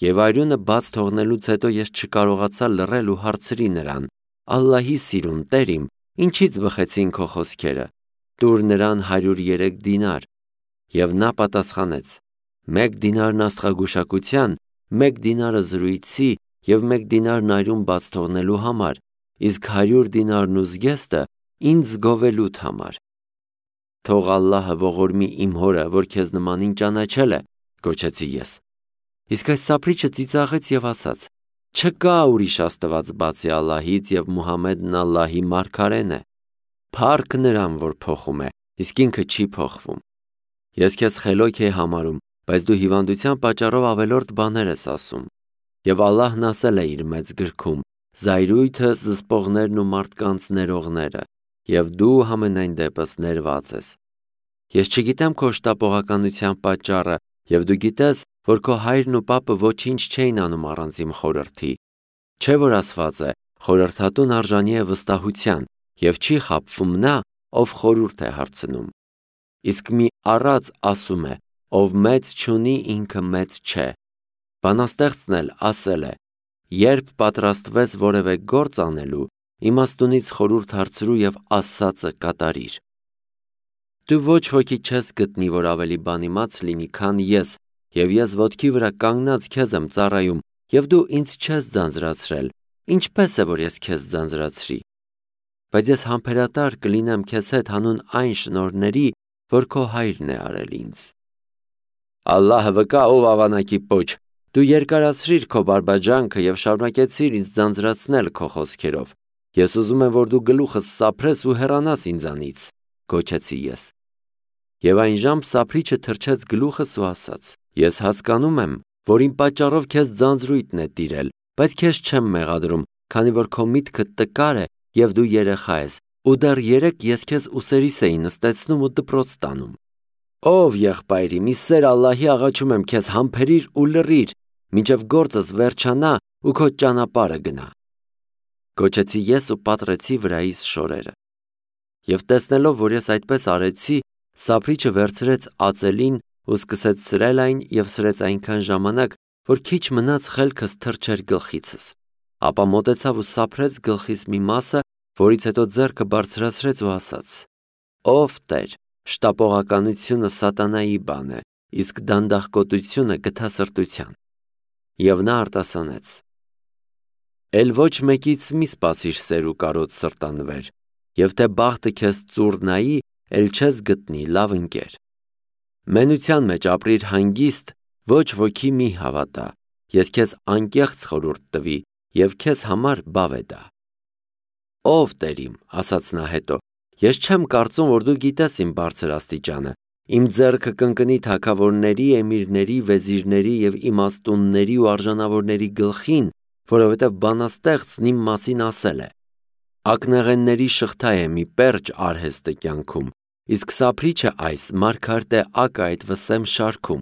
Եվ արյունը բաց թողնելուց հետո ես չկարողացա լռել ու հարցրի նրան. «Ալլահի սիրուն, Տեր իմ, ինչի՞ց բխեցին քո խոսքերը։ Տուր նրան 103 դինար»։ Եվ նա պատասխանեց. «1 դինարն աստղագուշակության, 1 դինարը զրույցի և 1 դինարն արյուն բաց թողնելու համար, իսկ 100 դինարն ու զգեստը ինձ գովելուդ համար»։ «Թող Ալլահը ողորմի իմ հորը, որ քեզ նմանին ճանաչել է», գոչեցի ես։ Իսկ այս սափրիչը ծիծաղեց և ասաց. «Չկա ուրիշ աստված բացի Ալլահից և Մուհամմեդն Ալլահի մարգարեն է։ Փառք նրան, որ փոխում է, իսկ ինքը չի փոխվում։ Ես քեզ խելոք էի համարում, բայց դու հիվանդության պատճառով ավելորդ բաներ ես ասում։ Եվ Ալլահն ասել է իր մեծ գրքում. «Զայրույթը զսպողներն ու մարդկանց ներողները, և դու համենայն դեպս ներված ես»։ Ես չգիտեմ քո շտապողականության պատճառը, և դու գիտես, որ քո հայրն ու պապը ոչինչ չէին անում առանց իմ խորհրդի։ Չէ՞ որ ասված է. «Խորհրդատուն արժանի է վստահության, և չի խաբվում նա, ով խորհուրդ է հարցնում»։ Իսկ մի առած ասում է. «Ով մեծ չունի, ինքը մեծ չէ»։ Բանաստեղծն էլ ասել է. «Երբ պատրաստվես որևէ գործ անելու, իմաստունից խորհուրդ հարցրու և ասածը կատարիր»։ Դու ոչ ոքի չես գտնի, որ ավելի բան իմաց լինի, քան ես, և ես ոտքի վրա կանգնած քեզ եմ ծառայում, և դու ինձ չես ձանձրացրել, ինչպե՞ս է, որ ես քեզ ձանձրացրի։ Բայց ես համբերատար կլինեմ քեզ հետ հանուն այն շնորհների, որ քո հայրն է արել ինձ։ Ալլահը վկա, ով ավանակի պոչ, դու երկարացրիր քո բարբաջանքը և շարունակեցիր ինձ ձանձրացնել քո խոսքերով։ Ես ուզում եմ, որ դու գլուխս սափրես ու հեռանաս ինձանից, գոչեցի ես։ Եվ այն ժամը սափրիչը թրջեց գլուխս ու ասաց. «Ես հասկանում եմ, որ իմ պատճառով քեզ ձանձրույթն է տիրել, բայց քեզ չեմ մեղադրում, քանի որ քո միտքը տկար է և դու երեխա ես, ու դեռ երեկ ես քեզ ուսերիս էի նստեցնում ու դպրոց տանում։ Ով եղբայր իմ, ի սեր Ալլահի աղաչում եմ քեզ, համբերիր ու լռիր, մինչև գործս վերջանա ու քո ճանապարհը գնա»։ Գոչեցի ես ու պատռեցի վրայիս շորերը։ Եվ տեսնելով, որ ես այդպես արեցի, սափրիչը վերցրեց ածելին ու սկսեց սրել այն և սրեց այնքան ժամանակ, որ քիչ մնաց խելքս թռչեր գլխիցս։ Ապա մոտեցավ ու սափրեց գլխիս մի մասը, որից հետո ձեռքը բարձրացրեց ու ասաց. «Ով Տեր, շտապողականությունը սատանայի բան է, իսկ դանդաղկոտությունը գթասրտության»։ Եվ նա արտասանեց. «Էլ ոչ մեկից մի սպասիր սեր ու կարոտ սրտանվեր, և թե բախտը քեզ ծուռ նայի, էլ չես գտնի լավ ընկեր։ Մենության մեջ ապրիր հանգիստ, ոչ ոքի մի հավատա, ես քեզ անկեղծ խորհուրդ տվի, և քեզ համար բավ է դա»։ «Ով Տեր իմ», ասաց նա հետո, «ես չեմ կարծում, որ դու գիտես իմ բարձր աստիճանը, իմ ձեռքը կընկնի թագավորների, էմիրների, վեզիրների և իմաստունների ու արժանավորների գլխին, որովհետև բանաստեղծն իմ մասին ասել է. «Ակնեղենների շղթա է մի պերճ արհեստը կյանքում, իսկ սափրիչը այս մարգարտե ակը այդ վսեմ շարքում։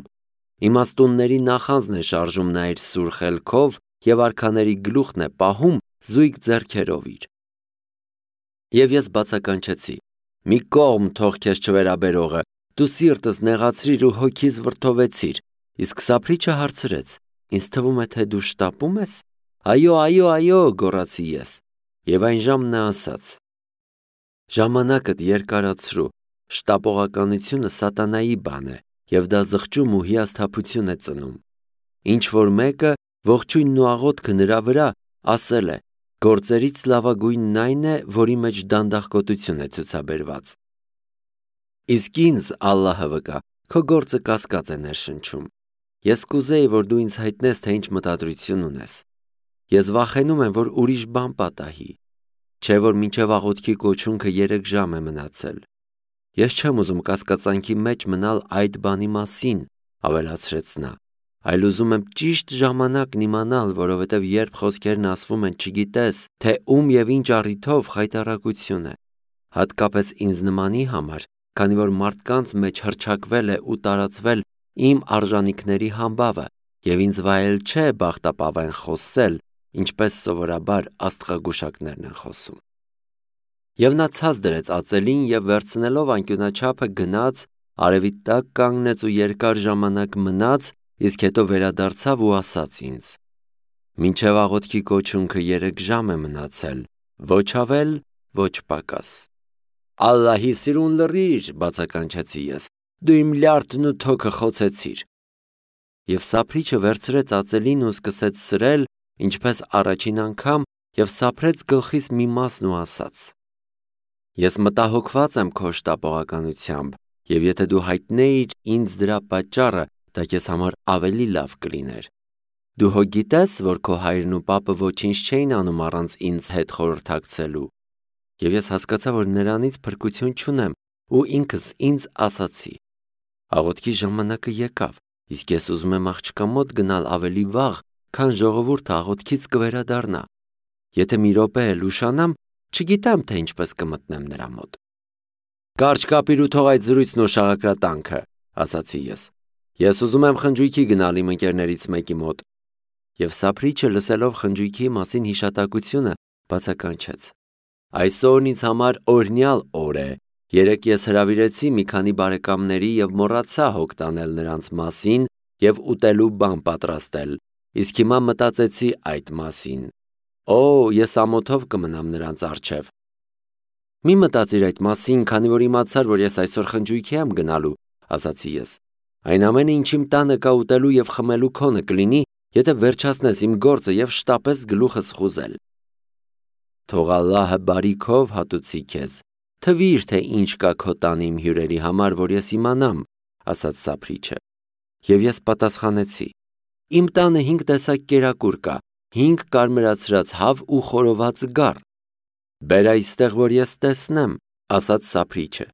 Իմաստունների նախանձն է շարժում նա իր սուր խելքով և արքաների գլուխն է պահում զույգ ձեռքերով իր»։ Եվ ես բացականչեցի. «Մի կողմ թող քեզ չվերաբերողը, դու սիրտս նեղացրիր ու հոգիս վրդովեցիր»։ Իսկ սափրիչը հարցրեց. «Ինձ թվում է, թե դու շտապում ես»։ «Այո, այո, այո», գոռացի ես։ Եվ այն ժամը նա ասաց. «Ժամանակդ երկարացրու, շտապողականությունը սատանայի բան է, և դա զղջում ու հիասթափություն է ծնում։ Ինչ որ մեկը, ողջույնն ու աղոթքը նրա վրա, ասել է. գործերից լավագույնն այն է, որի մեջ դանդաղկոտություն է ցուցաբերված։ Իսկ ինձ, Ալլահը վկա, քո գործը կասկած է ներշնչում։ Ես կուզեի, որ դու ինձ հայտնես, թե ինչ մտադրություն ունես։ Ես վախենում եմ, որ ուրիշ բան պատահի։ Չէ՞ որ մինչև աղոթքի կոչունքը 3 ժամ է մնացել։ Ես չեմ ուզում կասկածանքի մեջ մնալ այդ բանի մասին», ավելացրեց նա, «այլ ուզում եմ ճիշտ ժամանակն իմանալ, որովհետև երբ խոսքերն ասվում են, չգիտես, թե ում և ինչ առիթով խայտառակություն է։ Հատկապես ինձ նմանի համար, քանի որ մարդկանց մեջ հռչակվել է ու տարածվել իմ արժանիքների համբավը, և ինձ վայել չէ բախտապավեն խոսել, ինչպես սովորաբար աստղագուշակներն են խոսում»։ Եվ նա ցած դրեց ածելին և վերցնելով անկյունաչափը գնաց, արևի տակ կանգնեց ու երկար ժամանակ մնաց իսկ հետո վերադարձավ ու ասաց ինձ. «Մինչև աղոթքի կոչունքը 3 ժամ է մնացել, ոչ ավել, ոչ պակաս»։ «Ալլահի սիրուն լռիր», բացականչեցի ես, «դու իմ լյարդն ու թոքը խոցեցիր»։ Եվ սափրիչը վերցրեց ածելին ու սկսեց սրել, ինչպես առաջին անգամ, և սափրեց գլխիս մի մասն ու ասաց. «Ես մտահոգված եմ քո շտապողականությամբ, և եթե դու հայտնեիր ինձ դրա պատճառը, դա քեզ համար ավելի լավ կլիներ։ Դու հո գիտես, որ քո հայրն ու պապը ոչինչ չէին անում առանց ինձ հետ խորհրդակցելու»։ Եվ ես հասկացա, որ նրանից փրկություն չունեմ, ու ինքս ինձ ասացի. «Աղոթքի ժամանակը եկավ, իսկ ես ուզում եմ աղջկա մոտ գնալ ավելի վաղ, քան ժողովուրդը աղոթքից կվերադառնա։ Եթե մի րոպե էլ ուշանամ, չգիտեմ, թե ինչպես կմտնեմ նրա մոտ»։ «Կարճ կապիր ու թող այդ զրույցն ու շաղակրատանքը», ասացի ես։ «Ես ուզում եմ խնջույքի գնալ իմ ընկերներից մեկի մոտ»։ Եվ սափրիչը լսելով խնջույքի մասին հիշատակությունը, բացականչեց. «Այսօրն ինձ համար օրհնյալ օր է։ Երեկ ես հրավիրեցի մի քանի բարեկամների և մոռացա հոգ տանել նրանց մասին և ուտելու բան պատրաստել, իսկ հիմա մտածեցի այդ մասին։ Օ, ես ամոթով կմնամ նրանց առջև»։ «Մի մտածիր այդ մասին, քանի որ իմացար, որ ես այսօր խնջույքի եմ գնալու», ասացի ես։ «Այն ամենը, ինչ իմ տանը կա ուտելու և խմելու քոնը կլինի, եթե վերջացնես իմ գործը և շտապես գլուխս խուզել»։ «Թող Ալլահը բարիքով հատուցի քեզ, թվիր, թե ինչ կա քո տանը իմ հյուրերի համար, որ ես իմանամ», ասաց սափրիչը։ Եվ ես պատասխանեցի. «Իմ տանը 5 տեսակ կերակուր կա, 5 կարմրացրած հավ ու խորոված գառ»։ «Բեր այստեղ, որ ես տեսնեմ», ասաց սափրիչը։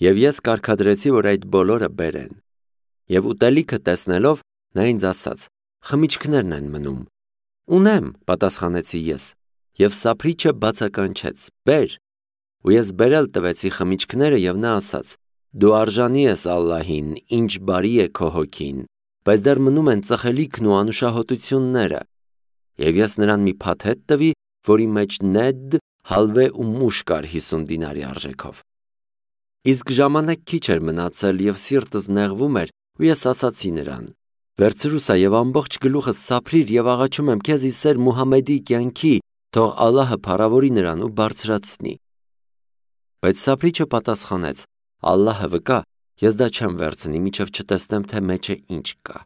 Եվ ես կարգադրեցի, որ այդ բոլորը բերեն։ Եվ ուտելիքը տեսնելով, նա ինձ ասաց. «Խմիչքներն են մնում»։ «Ունեմ», պատասխանեցի ես։ Եվ սափրիչը բացականչեց. «Բեր»։ Ու ես բերել տվեցի խմիչքները, և նա ասաց. «Դու արժանի ես Ալլահին, ինչ բարի է քո հոգին, բայց դեռ մնում են ծխելիքն ու անուշահոտությունները»։ Եվ ես նրան մի փաթեթ տվի, որի մեջ նեդ, հալվե ու մուշ կար 50 դինարի արժեքով։ Իսկ ժամանակ քիչ էր մնացել, և սիրտս նեղվում էր, ու ես ասացի նրան. «Վերցրու սա և ամբողջ գլուխս սափրիր և աղաչում եմ քեզ ի սեր Մուհամմեդի կյանքի, թող Ալլահը փառավորի նրան ու բարձրացնի»։ Բայց սափրիչը պատասխանեց. «Ալլահը վկա, ես դա չեմ վերցնի, մինչև չտեսնեմ, թե մեջը ինչ կա»։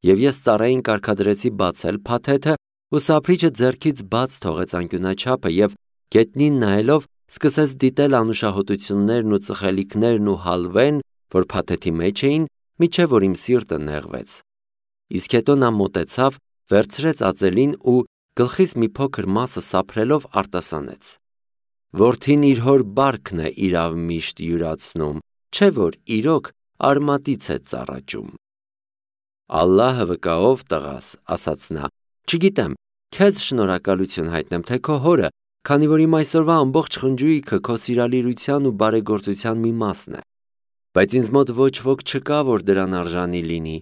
Եվ ես ծառային կարգադրեցի բացել փաթեթը, ու սափրիչը ձեռքից բաց թողեց անկյունաչափը և, գետնին նայելով, սկսեց դիտել անուշահոտություններն ու ծխելիքներն ու հալվեն, որ փաթեթի մեջ էին, մինչև որ իմ սիրտը նեղվեց։ Իսկ հետո նա մոտեցավ, վերցրեց ածելին ու գլխիս մի փոքր մասը սափրելով արտասանեց. «Որդին իր հոր բարքն է իրավ միշտ յուրացնում, չէ՞ որ իրոք արմատից է ծառաճում»։ «Ալլահը վկա, ով տղաս», ասաց նա, «չգիտեմ, քեզ շնորհակալություն հայտնեմ, թե քո հորը, քանի որ իմ այսօրվա ամբողջ խնջույքը քո սիրալիրության ու բարեգործության մի մասն է։ Բայց ինձ մոտ ոչ ոք չկա, որ դրան արժանի լինի։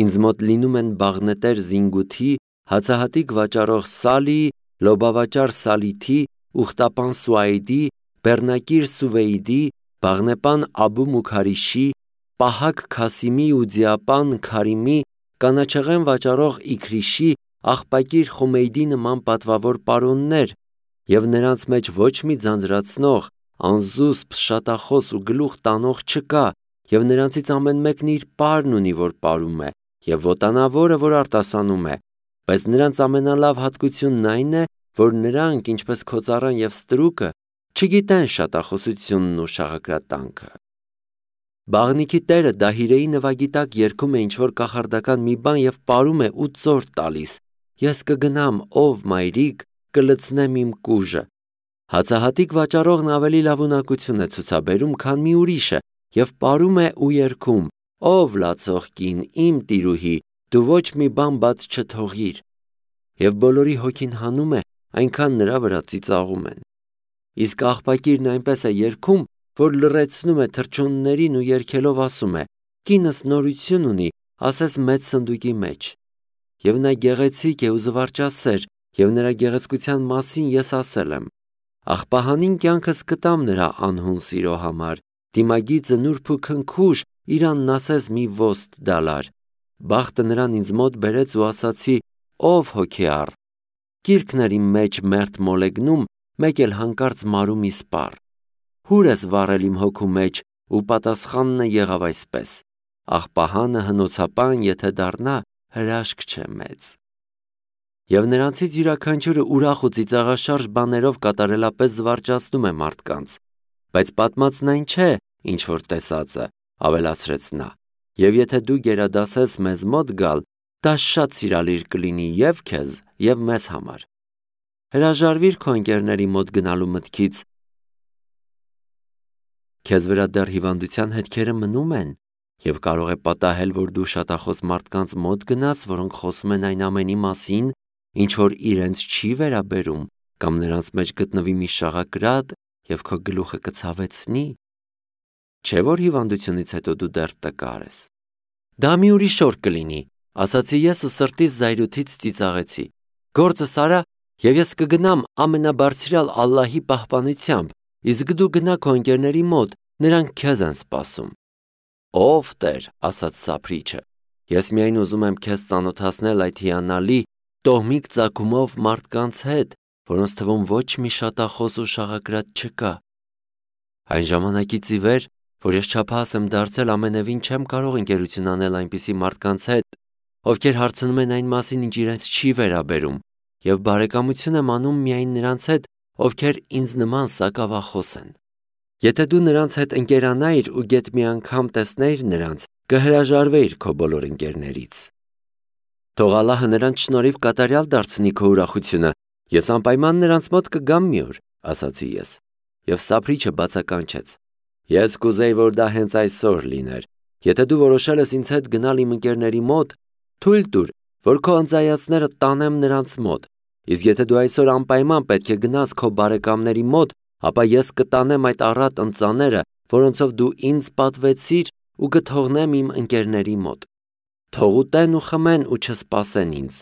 Ինձ մոտ լինում են բաղնետեր Զինգութի, հացահատիկ վաճառող Սալի, լոբավաճառ Սալիթի, ուխտապան Սուայդի, բեռնակիր Սուվեյդի, բաղնեպան Աբու Մուքարիշի, պահակ Քասիմի ու ձիապան Քարիմի, կանաչեղեն վաճառող Իքրիշի, աղբակիր Խումեյդի նման պատվավոր պարոններ, և նրանց մեջ ոչ մի ձանձրացնող, անզուսպ, շատախոս ու գլուխ տանող չկա, և նրանցից ամեն մեկն իր պարն ունի, որ պարում է, և ոտանավորը, որ արտասանում է, բայց նրանց ամենալավ հատկությունն այն է, որ նրանք, ինչպես քո ծառան և ստրուկը, չգիտեն շատախոսությունն ու շաղակրատանքը։ Բաղնիքի տերը Դահիրեի նվագի տակ երգում է ինչ-որ կախարդական մի բան և պարում է ու ծոր տալիս. «Ես կգնամ, ով մայրիկ, կլցնեմ իմ կուժը»։ Հացահատիկ վաճառողն ավելի լավ ունակություն է ցուցաբերում, քան մի ուրիշը, և պարում է ու երգում. «Ով լացող կին, իմ տիրուհի, դու ոչ մի բան բաց չթողիր»։ Եվ բոլորի հոգին հանում է, այնքան նրա վրա ծիծաղում են։ Իսկ աղբակիրն այնպես է երգում, որ լռեցնում է թռչուններին ու երգելով ասում է. «Կինս նորություն ունի, ասես մեծ սնդուկի մեջ»։ Եվ նա գեղեցիկ է ու զվարճասեր, և նրա գեղեցկության մասին ես ասել եմ. «Աղբահանին կյանքս կտամ նրա անհուն սիրո համար, դիմագիծը նուրբ ու քնքուշ, իրանն ասես մի ոստ դալար»։ Բախտը նրան ինձ մոտ բերեց ու ասացի. «Ով հոգեառ, գիրքն իմ մեջ մերթ մոլեգնում, մեկ էլ հանկարծ մարում իսպառ։ Հուր ես վառել իմ հոգու մեջ, ու պատասխանն եղավ այսպես. աղբահանը հնոցապան եթե դառնա, հրաշք չէ մեծ»։ Եվ նրանցից յուրաքանչյուրը ուրախ ու ծիծաղաշարժ բաներով կատարելապես զվարճացնում է մարդկանց, բայց պատմածն այն չէ, ինչ որ տեսածը, ավելացրեց նա, եւ եթե դու գերադասես մեզ մոտ գալ, դա շատ սիրալիր կլինի եւ քեզ, եւ մեզ համար։ Հրաժարվիր քո ընկերների մոտ գնալու մտքից։ Քեզ վրա դեռ հիվանդության հետքերը մնում են, եւ կարող է պատահել, որ դու շատախոս մարդկանց մոտ գնաս, որոնք խոսում են այն ամենի մասին, ինչ որ իրենց չի վերաբերում, կամ նրանց մեջ գտնվի մի շաղակրատ եւ քո գլուխը կցավեցնի։ Չէ՞ որ հիվանդությունից հետո դու դեռ տկար ես։ Դա մի ուրիշ օր կլինի, ասացի ես ու սրտիս զայրույթից ծիծաղեցի։ Գործս արա, եւ ես կգնամ ամենաբարձրյալ Ալլահի պահպանությամբ, իսկ դու գնա քո ընկերների մոտ, նրանք քեզ են սպասում։ Ով Տեր, ասաց Սափրիչը, ես միայն ուզում եմ քեզ ծանոթացնել այդ հիանալի տոհմիկ ծագումով մարդկանց հետ, որոնց թվում ոչ մի շատախոս ու շաղակրատ չկա։ Այն ժամանակից ի վեր, որ ես չափահաս եմ դարձել, ամենևին չեմ կարող ընկերություն անել այնպիսի մարդկանց հետ, ովքեր հարցնում են այն մասին, ինչ իրենց չի վերաբերում, եւ բարեկամություն եմ անում միայն նրանց հետ, ովքեր ինձ նման սակավախոս են։ Եթե դու նրանց հետ ընկերանայիր ու գեթ մի անգամ տեսնեիր նրանց, կհրաժարվեիր քո բոլոր ընկերներից։ Թող Ալլահը նրանց շնորհիվ կատարյալ դարձնի քո ուրախությունը, ես անպայման նրանց մոտ կգամ մի օր, ասացի ես։ Եվ Սափրիչը բացականչեց. Ես կուզեի, որ դա հենց այսօր լիներ։ Եթե դու որոշել ես ինձ հետ գնալ իմ ընկերների մոտ, թույլ տուր, որ քո ընծայացները տանեմ նրանց մոտ։ Իսկ եթե դու այսօր անպայման պետք է գնաս քո բարեկամների մոտ, ապա ես կտանեմ այդ առատ ընծաները, որոնցով դու ինձ պատվեցիր, ու կթողնեմ իմ ընկերների մոտ։ Թող ուտեն ու խմեն ու չսպասեն ինձ։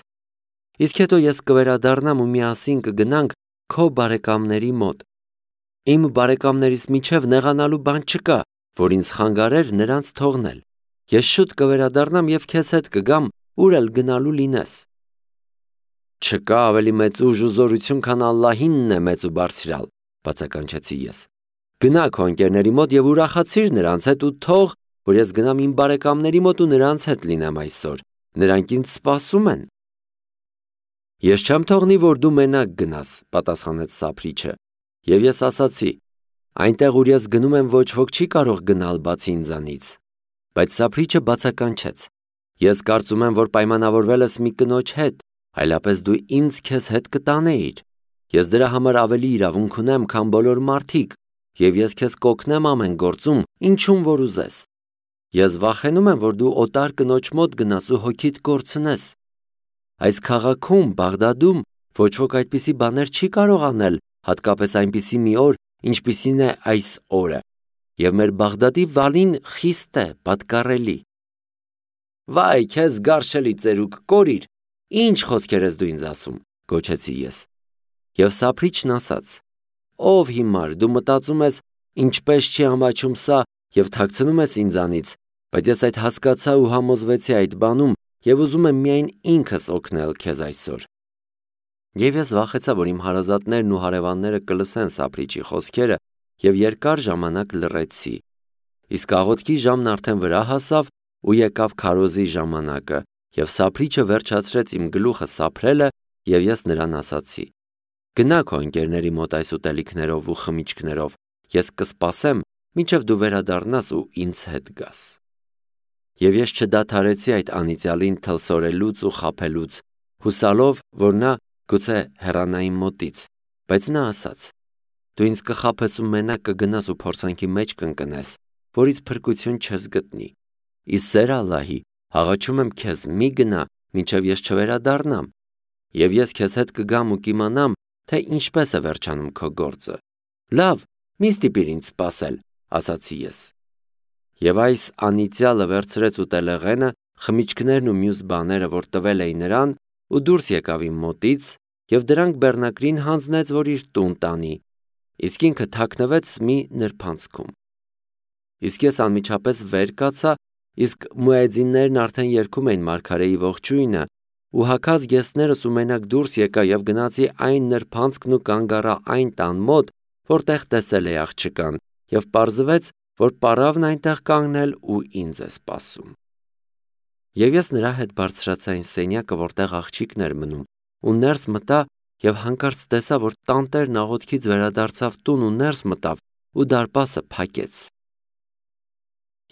Իսկ հետո ես կվերադառնամ ու միասին կգնանք քո բարեկամների մոտ։ Իմ բարեկամներից միջև նեղանալու բան չկա, որ ինձ խանգարեր նրանց թողնել։ Ես շուտ կվերադառնամ եւ քեզ հետ կգամ, ուր էլ գնալու լինես։ Չկա ավելի մեծ ուժ ու զորություն, քան Ալլահինն է մեծ ու բարձրյալ, բացականչեցի ես։ Գնա քո ընկերների մոտ եւ ուրախացիր նրանց հետ ու թող, որ ես գնամ իմ բարեկամների մոտ ու նրանց հետ լինեմ այսօր։ Նրանք ինձ սպասում են։ Ես չեմ թողնի, որ դու մենակ գնաս, պատասխանեց Սափրիչը։ Եվ ես ասացի. այնտեղ, ուր ես գնում եմ, ոչ ոք չի կարող գնալ բացի ինձանից։ Բայց Սափրիչը բացականչեց. ես կարծում եմ, որ պայմանավորվել ես մի կնոջ հետ, այլապես դու ինձ քեզ հետ կտանեիր։ Ես դրա համար ավելի իրավունք ունեմ, քան բոլոր մարդիկ, եւ ես քեզ կօգնեմ ամեն գործում, ինչում որ ուզես։ Ես վախենում եմ, որ դու օտար կնոջ մոտ գնաս ու հոգիդ կորցնես։ Այս քաղաքում, Բաղդադում, ոչ ոք այդպիսի բաներ չի կարող անել, հատկապես այնպիսի մի օր, ինչպիսին է այս օրը։ Եվ մեր Բաղդադի վալին խիստ է, պատկառելի։ Վայ, քեզ գարշելի ծերուկ, կորիր, ինչ խոսքեր ես դու ինձ ասում, գոչեցի ես։ Եվ Սափրիչն ասաց. ով հիմար, դու մտածում ես, ինչպես չի ամաչում սա, եւ թաքցնում ես ինձանից, բայց ես այդ հասկացա ու համոզվեցի այդ բանում եւ ուզում եմ միայն ինքս օգնել քեզ այսօր։ Եվ ես վախեցա, որ իմ հարազատներն ու հարևանները կլսեն Սափրիչի խոսքերը եւ երկար ժամանակ լռեցի։ Իսկ աղոթքի ժամն արդեն վրա հասավ ու եկավ քարոզի ժամանակը, եւ Սափրիչը վերջացրեց իմ գլուխը սափրելը եւ ես նրան ասացի. գնա քո ընկերների մոտ այս ուտելիքներով ու խմիչքներով, ես կսպասեմ, մինչև դու վերադառնաս ու ինձ հետ գաս։ Եվ ես չդադարեցի այդ անիծյալին թլսորելուց ու խաբելուց, հուսալով, որ նա գուցե հեռանա իմ մոտից, բայց նա ասաց. դու ինձ կխաբես ու մենակ կգնաս ու փորձանքի մեջ կընկնես, որից փրկություն չես գտնի։ Ի սեր Ալլահի, աղաչում եմ քեզ, մի գնա, մինչև ես չվերադառնամ, եւ ես քեզ հետ կգամ ու կիմանամ, թե ինչպես է վերջանում քո գործը։ Լավ, մի ստիպիր ինձ սպասել, ասացի ես։ Եվ այս անիծյալը վերցրեց ուտելեղենը, խմիչքներն ու մյուս բաները, որ տվել էի նրան, ու դուրս եկավ իմ մոտից եւ դրանք բեռնակրին հանձնեց, որ իր տուն տանի, իսկ ինքը թաքնվեց մի նրբանցքում։ Իսկ ես անմիջապես վեր կացա իսկ մուեզիններն արդեն երգում էին մարգարեի ողջույնը, ու հագած գեսներս ու մենակ դուրս եկա եւ գնացի այն նրբանցքն ու կանգ առա այն տան մոտ, որտեղ տեսել էի աղջկան, եւ պարզվեց, որ պարավն այնտեղ կանգնել ու ինձ է սպասում։ Եվ ես նրա հետ բարձրացա այն սենյակը, որտեղ աղջիկն էր մնում, ու ներս մտա եւ հանկարծ տեսա, որ տանտերն աղոթքից վերադարձավ տուն ու ներս մտավ ու դարպասը փակեց։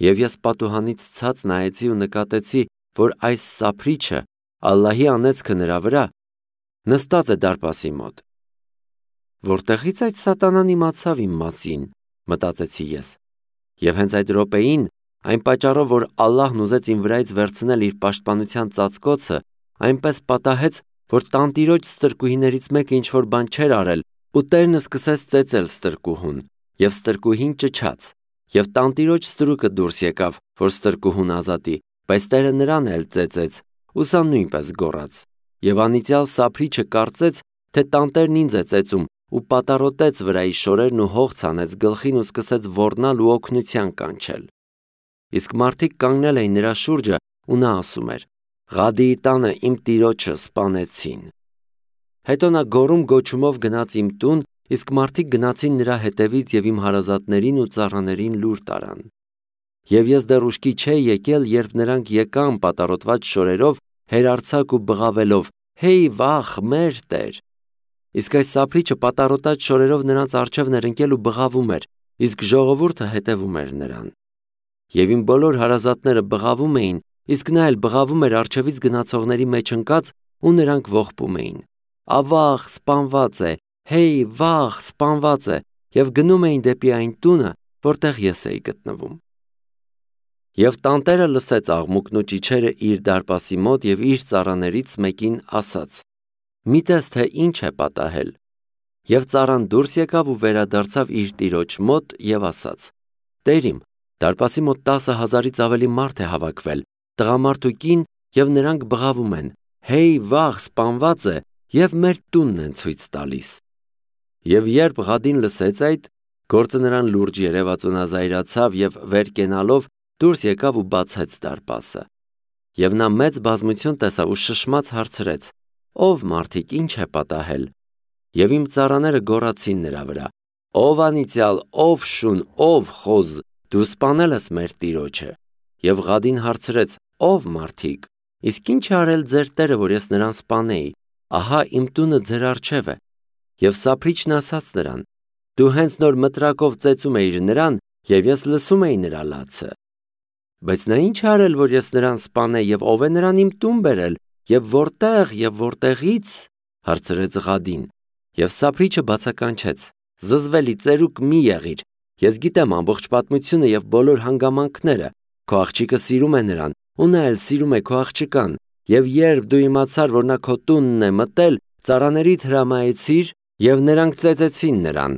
Եվ ես պատուհանից ցած նայեցի ու նկատեցի, որ այս սափրիչը Ալլահի անեծքը նրա վրա նստած է դարպասի մոտ։ Որտեղից այդ սատանան իմացավ իմ մասին, մտածեցի ես։ Եվ հենց այդ րոպեին, այն պատճառով, որ Ալլահն ուզեց իմ վրայից վերցնել իր պաշտպանության ծածկոցը, այնպես պատահեց, որ տանտիրոջ ստրկուհիներից մեկը ինչ-որ բան չէր արել, ու տերն սկսեց ծեծել ստրկուհուն, եւ ստրկուհին ճչաց, եւ տանտիրոջ ստրուկը դուրս եկավ, որ ստրկուհուն ազատի, բայց տերը նրան էլ ծեծեց, ու սա նույնպես գոռաց։ Եվ անիծյալ սափրիչը կարծեց, թե տանտերն ինձ է ծեծում, ու պատառոտեց վրայի շորերն ու հող ցանեց գլխին ու սկսեց ոռնալ ու օգնության կանչել։ Իսկ մարդիկ կանգնել էին նրա շուրջը, ու նա ասում էր. «Ղադիի տանը իմ տիրոջը սպանեցին»։ Հետո նա գոռում գոչումով գնաց իմ տուն, իսկ մարդիկ գնացին նրա հետևից եւ իմ հարազատներին ու ծառաներին լուր տարան։ Եվ ես դեռ ուշքի չէի եկել, երբ նրանք եկան պատառոտված շորերով, հերարցակ ու բղավելով. «Հեյ վախ, մեր տեր»։ Իսկ այս սափրիչը պատառոտած շորերով նրանց առջևն էր ընկել ու բղավում էր, իսկ ժողովուրդը հետևում էր նրան։ Եվ իմ բոլոր հարազատները բղավում էին, իսկ նա էլ բղավում էր առջևից գնացողների մեջ ընկած, ու նրանք ողբում էին. «Ավաղ, սպանված է, հեյ, վաղ, սպանված է», եւ գնում էին դեպի այն տունը, որտեղ ես էի գտնվում։ Եվ տանտերը լսեց աղմուկն ու ճիչերը իր դարպասի մոտ եւ իր ծառաներից մեկին ասաց. «Մի տես, թե ինչ է պատահել»։ Եվ ծառան դուրս եկավ ու վերադարձավ իր տիրոջ մոտ եւ ասաց. «Տեր իմ, դարպասի մոտ 10,000-ից ավելի մարդ է հավաքվել, տղամարդ ու կին, եւ նրանք բղավում են. հեյ, վաղ, սպանված է, եւ մեր տունն են ցույց տալիս»։ Եվ երբ Ղադին լսեց այդ, գործը նրան լուրջ երևաց ու նա զայրացավ եւ վեր կենալով դուրս եկավ ու բացեց դարպասը։ Եվ նա մեծ բազմություն տեսավ ու շշմած հարցրեց. «Ով մարդիկ, ինչ է պատահել»։ Եվ իմ ծառաները գոռացին նրա վրա. «Ով անիծյալ, ով շուն, ով խոզ, դու սպանել ես մեր տիրոջը»։ Եվ Ղադին հարցրեց. «Ով մարդիկ, իսկ ինչ է արել ձեր տերը, որ ես նրան սպանեի, ահա իմ տունը ձեր առջև է»։ Եվ սափրիչն ասաց նրան. «Դու հենց նոր մտրակով ծեծում էիր նրան, եւ ես լսում էի նրա լացը»։ Բայց նա ինչ է արել, որ ես նրան սպանեի, եւ ով է նրան իմ տուն բերել, եւ որտեղ եւ որտեղից, հարցրեց Ղադին։ Եվ սափրիչը բացականչեց. «Զզվելի ծերուկ մի եղիր, ես գիտեմ ամբողջ պատմությունը եւ բոլոր հանգամանքները, քո աղջիկը սիրում է նրան, ու նա էլ սիրում է քո աղջկան, եւ երբ դու իմացար, որ նա քո տունն է մտել, ծառաներիդ հրամայեցիր, եւ նրանք ծեծեցին նրան։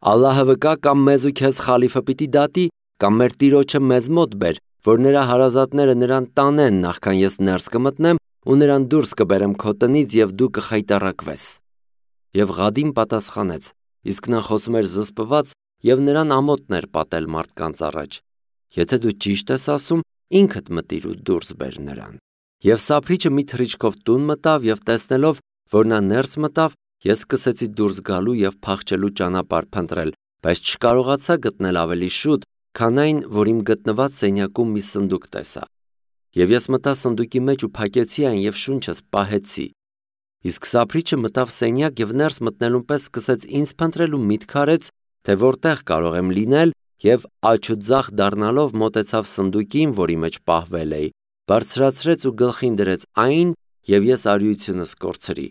Ալլահը վկա, կամ մեզ ու քեզ խալիֆը պիտի դատի, կամ մեր տիրոջը մեզ մոտ բեր, որ նրա հարազատները նրան տանեն, նախքան ես ներս կմտնեմ ու նրան դուրս կբերեմ քո տնից եւ դու կխայտառակվես»։ Եվ Ղադին պատասխանեց. իսկ նա խոսում էր զսպված եւ նրան ամոթն էր պատել մարդկանց առաջ. «Եթե դու ճիշտ ես ասում, ինքդ մտիր ու դուրս բեր նրան»։ Եվ սափրիչը մի թռիչքով տուն մտավ եւ տեսնելով, որ նա ներս մտավ, ես սկսեցի դուրս գալու եւ փախչելու ճանապարհ փնտրել, բայց չկարողացա գտնել ավելի շուտ, քան այն, որ իմ գտնված սենյակում մի սնդուկ տեսա։ Եվ ես մտա սնդուկի մեջ ու փակեցի այն եւ շունչս պահեցի։ Իսկ սափրիչը մտավ սենյակ եւ ներս մտնելուն պես սկսեց ինձ փնտրել ու միտք արեց, թե որտեղ կարող եմ լինել, եւ աջ ու ձախ դառնալով մոտեցավ սնդուկին, որի մեջ պահվել էի, բարձրացրեց ու գլխին դրեց այն, եւ ես արիությունս կորցրի։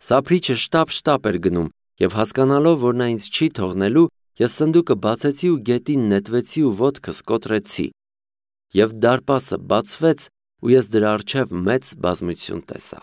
Սափրիչը շտապ էր գնում, եւ հասկանալով, որ նա ինձ չի թողնելու, ես սնդուկը բացեցի ու գետին նետվեցի ու ոտքս կոտրեցի։ Եվ դարպասը բացվեց, ու ես դրա առջև մեծ բազմություն տեսա։